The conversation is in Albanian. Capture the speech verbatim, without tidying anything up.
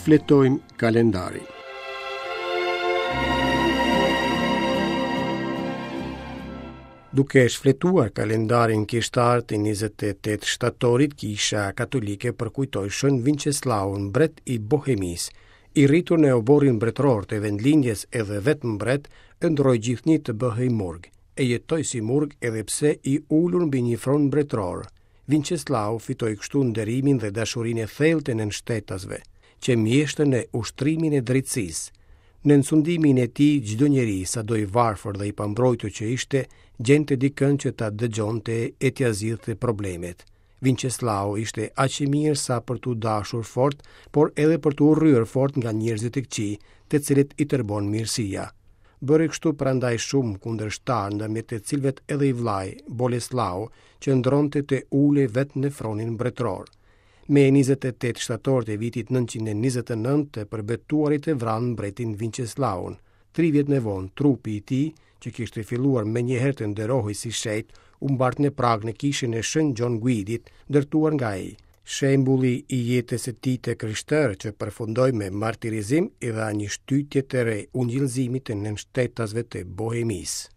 Shfletojmë kalendarin. Duke shfletuar kalendarin kishtar të njëzet e tetë shtatorit, Kisha Katolike përkujtoi Shën Vinçeslaun, mbret i Bohemisë. I rritur në oborrin mbretëror të vendlindjes edhe vetë mbret, ëndërroi gjithnjë të bëhej murg. E jetoi si murg edhe pse i ulur mbi një fron mbretëror. Vinçeslau fitoi kështu nderimin dhe dashurinë e thellë të nënshtetasve, që mjeshtër në ushtrimin e drejtësisë. Nën sundimin e tij, çdo njeri, sado i varfër dhe i pambrojtur që ishte, gjente dikën që ta dëgjonte e t'ia zgjidhte problemet. Vinçeslau ishte aq i mirë sa për t'u dashur fort, por edhe për t'u urryer fort nga njerëzit e këqij, të cilët i tërbon mirësia. Bëri kështu prandaj shumë kundërshtar, ndërmjet të cilëve edhe i vllai, Boleslau, që ndronte të ulej vetë në fronin mbretëror. Me njëzet e tetë shtator të vitit nëntëqind e njëzet e nëntë, të përbetuarit e vranë mbretin Vinçeslaun. Tri vjet më vonë, trupi i tij, që kishte filluar menjëherë të nderohej si shenjt, u mbart në Pragë në kishën e Shën Gjon Guidit, ndërtuar nga ai. Shembulli i jetës së tij të krishterë që përfundoi me martirizim i dha një shtytje të re ungjillëzimit të nënshtetasve të Bohemisë.